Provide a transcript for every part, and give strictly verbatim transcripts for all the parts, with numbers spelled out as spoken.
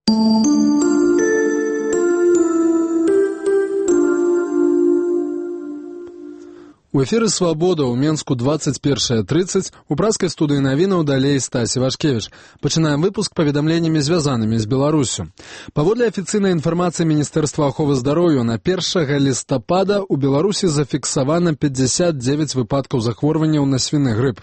У эфіры «Свабода» ў Менску двадцать першая тридцать, у праскай студыі навінаў далей Стась Івашкевіч. Пачынаем выпуск паведамленнямі, звязанымі з Беларусю. Паводле афіцыйнай інфармацыі Міністэрства аховы здароўя, на першага лістапада ў Беларусі зафіксавана пятьдесят девять выпадкаў захворванняў на свіны грып.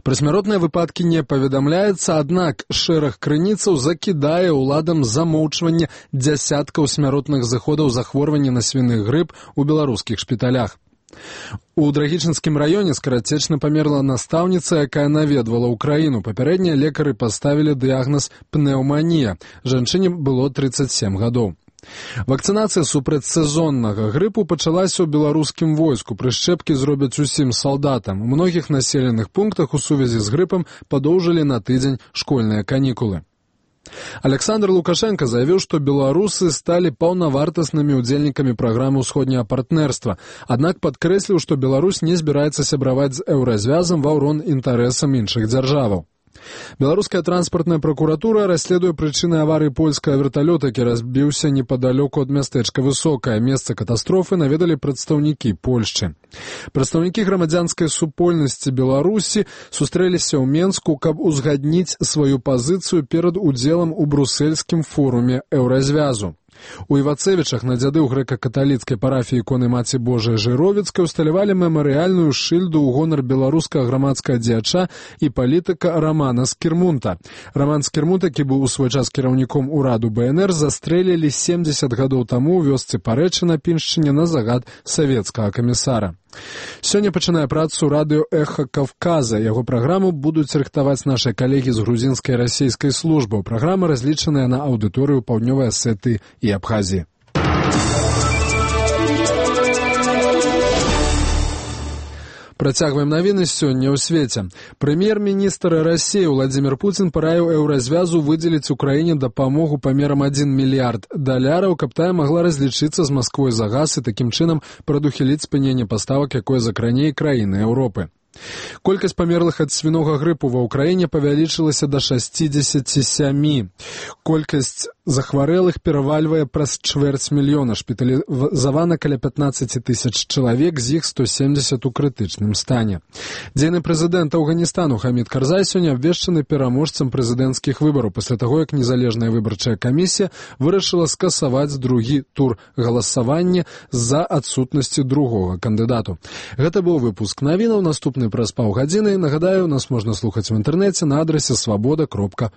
Пра смяротныя выпадкі не паведамляецца, аднак шэраг крыніцаў закідае ўладам замоўчванне дзясяткаў смяротных зыходаў захворвання на свіны грып у беларускіх шпіталях. У Драгічынскім раёне скарацечна памерла настаўніца, якая наведвала ўкраіну. Папярэднія лекары паставілі дыягназ пнеўманія. Жанчыне было тридцать семь гадоў. Вакцынацыя супраць сезоннага грыпу пачалася ў беларускім войску. Прышчэпкі зробяць усім салдатам. У многіх населеных пунктах у сувязі з грыпам падоўжылі на тыдзень школьныя канікулы. Александр Лукашенко заявіў, што беларусы сталі паўнавартаснымі ўдзельнікамі праграмы ўсходняга партнерства, аднак падкрэсліў, што Беларусь не збіраецца сябраваць з еўразвязам ва ўрон інтарэсам іншых дзяржаваў. Беларуская транспартная прокуратура расследуе прычыны аварыі польскага верталёта, які разбіўся непадалёку ад мястэчка Высокае. Месца катастрофы наведалі прадстаўнікі Польшчы. Прадстаўнікі грамадзянскай супольнасці Беларусі сустрэліся ў Менску, каб узгадніць сваю пазіцыю перад удзелам у брусельскім форуме еўразвязу. У Івацевічах на дзяды ў грэка-каталіцкай парафіі іконы Маці Божай Жыровіцкай усталявалі мемарыяльную шыльду ў гонар беларускага грамадскага дзеяча і палітыка Рамана Скірмунта. Раман Скірмунт, які быў у свой час кіраўніком ураду бэ эн эр, застрэлілі семьдесят гадоў таму ў вёсцы Парэчы на Піншчыне на загад савецкага камісара. Сёння пачынае працу радыё «Эхо Кавказа». Яго праграму будуць рыхтаваць нашы калегі з грузінскай і расійскай службаў. Праграма разлічаная на аўдыторыю Паўднёвай Асетыі і Абхазіі. Працягваем навіны сёння ў свеце. Прэм'ер-міністр Расіі Владзімір Пуцін параіў еўразвязу выдзеліць Украіне дапамогу памерам адзін мільярд даляраў, каб тая магла разлічыцца з Масквой за газ і такім чынам прадухіліць спыненне паставак, якое закране і краіны Еўропы. Колькасць памерлых ад свінога грыпу ва ўкраіне павялічылася да шасцідзесяці сямі. Колькасць захварэлых перавальвае праз чвэрць мільёна. Шпіталізавана каля пятнаццаць тысяч чалавек, з іх сто семьдесят у крытычным стане. Дзейны прэзідэнт Афганістану Хамід Карзай сёння абвешчаны пераможцам прэзідэнцкіх выбараў пасля таго, як незалежная выбарчая камісія вырашыла скасаваць другі тур галасавання з-за адсутнасці другога кандыдату. Гэта быў выпуск навінаў. Наступны праз паўгадзіны. Нагадаю, нас можна слухаць в інтэрнэце на адрасе свабода кропка